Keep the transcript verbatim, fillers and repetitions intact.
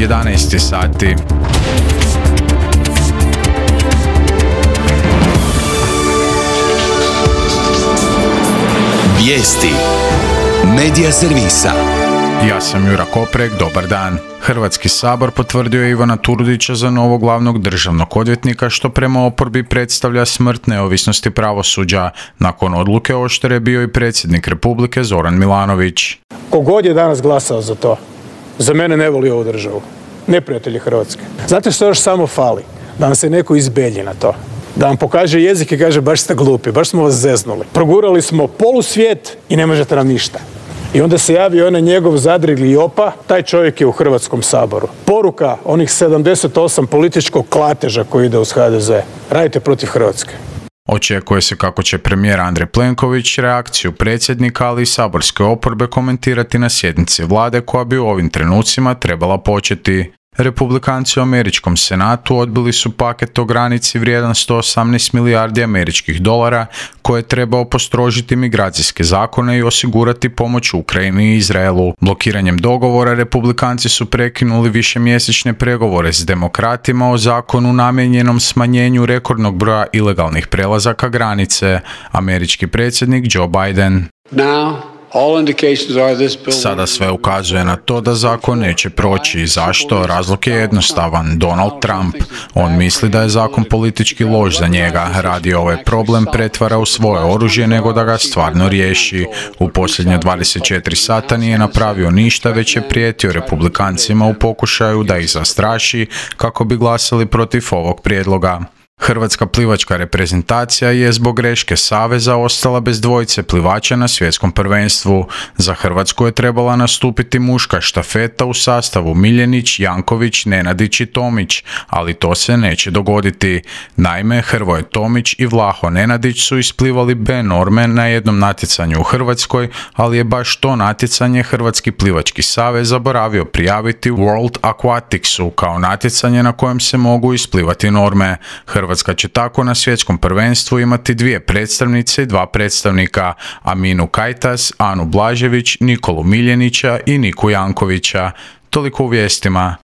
jedanaest sati. Vijesti Medija servisa. Ja sam Jura Koprek, dobar dan. Hrvatski sabor potvrdio je Ivana Turudića za novog glavnog državnog odvjetnika, što prema oporbi predstavlja smrt neovisnosti pravosuđa. Nakon odluke oštre je bio i predsjednik Republike Zoran Milanović. Kogod je danas glasao za to, za mene ne voli ovu državu. Neprijatelji Hrvatske. Znate što još samo fali? Da nam se neko izbelji na to. Da vam pokaže jezik i kaže baš ste glupi, baš smo vas zeznuli. Progurali smo polusvijet i ne možete nam ništa. I onda se javi onaj njegov zadrigli Jopa, taj čovjek je u Hrvatskom saboru. Poruka onih sedamdeset osam političkog klateža koji ide uz ha de ze. Radite protiv Hrvatske. Očekuje se kako će premijer Andrej Plenković reakciju predsjednika, ali i saborske oporbe komentirati na sjednici vlade koja bi u ovim trenucima trebala početi. Republikanci u američkom senatu odbili su paket o granici vrijedan sto osamnaest milijardi američkih dolara koje je trebao postrožiti migracijske zakone i osigurati pomoć Ukrajini i Izraelu. Blokiranjem dogovora republikanci su prekinuli višemjesečne pregovore s demokratima o zakonu namijenjenom smanjenju rekordnog broja ilegalnih prelazaka granice. Američki predsjednik Joe Biden. Now. Sada sve ukazuje na to da zakon neće proći. Zašto? Razlog je jednostavan. Donald Trump. On misli da je zakon politički loš za njega. Radi ovaj problem pretvara u svoje oružje nego da ga stvarno riješi. U posljednje dvadeset četiri sata nije napravio ništa, već je prijetio republikancima u pokušaju da ih zastraši kako bi glasali protiv ovog prijedloga. Hrvatska plivačka reprezentacija je zbog greške saveza ostala bez dvojice plivača na svjetskom prvenstvu. Za Hrvatsku je trebala nastupiti muška štafeta u sastavu Miljenić, Janković, Nenadić i Tomić, ali to se neće dogoditi. Naime, Hrvoje Tomić i Vlaho Nenadić su isplivali B norme na jednom natjecanju u Hrvatskoj, ali je baš to natjecanje Hrvatski plivački savez zaboravio prijaviti World Aquaticsu kao natjecanje na kojem se mogu isplivati norme. Hrvatska će tako na svjetskom prvenstvu imati dvije predstavnice i dva predstavnika, Aminu Kajtas, Anu Blažević, Nikolu Miljenića i Niku Jankovića. Toliko u vijestima.